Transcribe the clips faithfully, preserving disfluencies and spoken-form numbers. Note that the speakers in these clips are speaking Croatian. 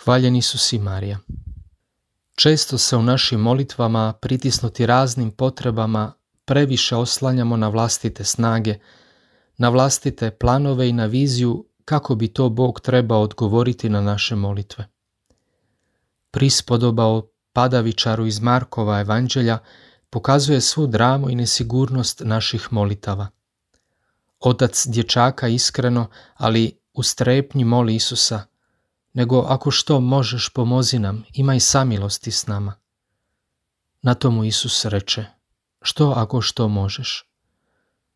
Hvaljen Isus i Marija. Često se u našim molitvama, pritisnuti raznim potrebama, previše oslanjamo na vlastite snage, na vlastite planove i na viziju kako bi to Bog trebao odgovoriti na naše molitve. Prispodoba o padavičaru iz Markova evanđelja pokazuje svu dramu i nesigurnost naših molitava. Otac dječaka iskreno, ali u strepnji moli Isusa: nego ako što možeš, pomozi nam, imaj samilosti s nama. Na to mu Isus reče: što ako što možeš?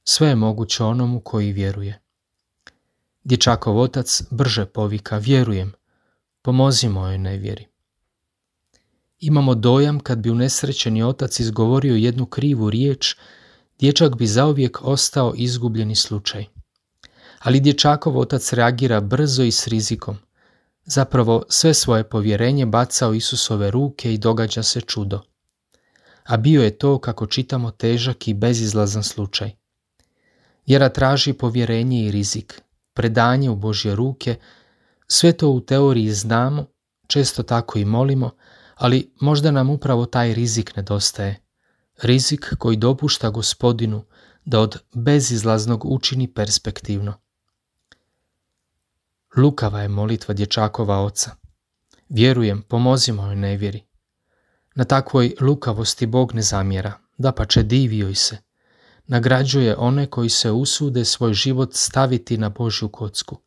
Sve je moguće onomu koji vjeruje. Dječakov otac brže povika: vjerujem, pomozi mojoj nevjeri. Imamo dojam kad bi unesrećeni otac izgovorio jednu krivu riječ, dječak bi zauvijek ostao izgubljeni slučaj. Ali dječakov otac reagira brzo i s rizikom. Zapravo sve svoje povjerenje baca u Isusove ruke i događa se čudo. A bio je to, kako čitamo, težak i bezizlazan slučaj. Vjera traži povjerenje i rizik, predanje u Božje ruke. Sve to u teoriji znamo, često tako i molimo, ali možda nam upravo taj rizik nedostaje. Rizik koji dopušta Gospodinu da od bezizlaznog učini perspektivno. Lukava je molitva dječakova oca: vjerujem, pomozi mojoj nevjeri. Na takvoj lukavosti Bog ne zamjera, dapače divi joj se. Nagrađuje one koji se usude svoj život staviti na Božju kocku.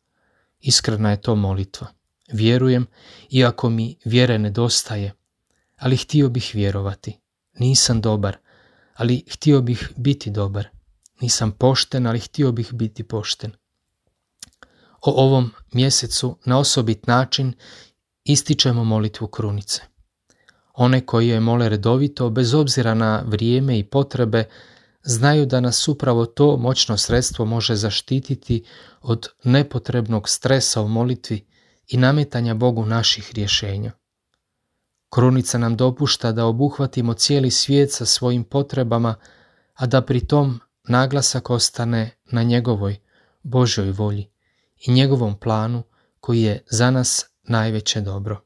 Iskrena je to molitva. Vjerujem, iako mi vjere nedostaje, ali htio bih vjerovati. Nisam dobar, ali htio bih biti dobar. Nisam pošten, ali htio bih biti pošten. O ovom mjesecu na osobit način ističemo molitvu krunice. One koji je mole redovito, bez obzira na vrijeme i potrebe, znaju da nas upravo to moćno sredstvo može zaštititi od nepotrebnog stresa u molitvi i nametanja Bogu naših rješenja. Krunica nam dopušta da obuhvatimo cijeli svijet sa svojim potrebama, a da pri tom naglasak ostane na njegovoj Božjoj volji i njegovom planu koji je za nas najveće dobro.